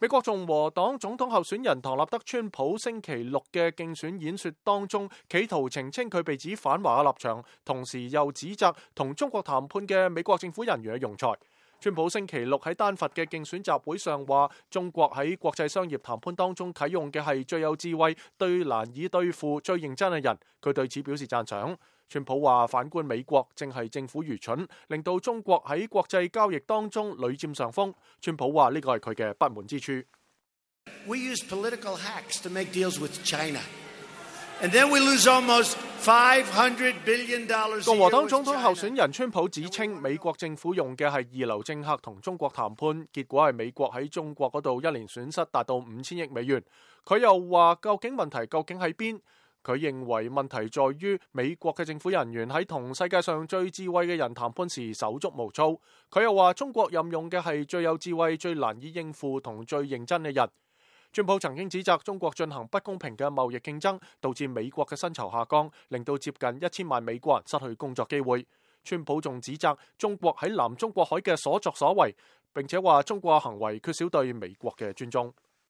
美國共和黨總統候選人唐納德·川普星期六嘅競選演說當中，企圖澄清佢被指反華嘅立場，同時又指責同中國談判嘅美國政府人員嘅庸才。川普星期六喺丹佛嘅競選集會上話，中國喺國際商業談判當中啟用嘅係最有智慧、最難以對付、最認真嘅人，佢對此表示讚賞。川普話，反觀美國正係政府愚蠢，令到中國喺國際交易當中屢佔上風。川普話呢個係佢嘅不滿之處。We use political hacks to make deals with China, and then we lose almost $500 billion. 共和黨總統候選人川普指稱，美國政府用嘅係二流政客同中國談判，結果係美國喺中國嗰度一年損失達到5000億美元。佢又話，究竟問題究竟喺邊？佢認為問題在於美國嘅政府人員喺同世界上最智慧嘅人談判時手足無措。佢又話，中國任用嘅係最有智慧、最難以應付同最認真嘅人。川普曾經指責中國進行不公平嘅貿易競爭，導致美國嘅薪酬下降，令到接近1000萬美國人失去工作機會。川普仲指責中國喺南中國海嘅所作所為，並且話中國行為缺少對美國嘅尊重。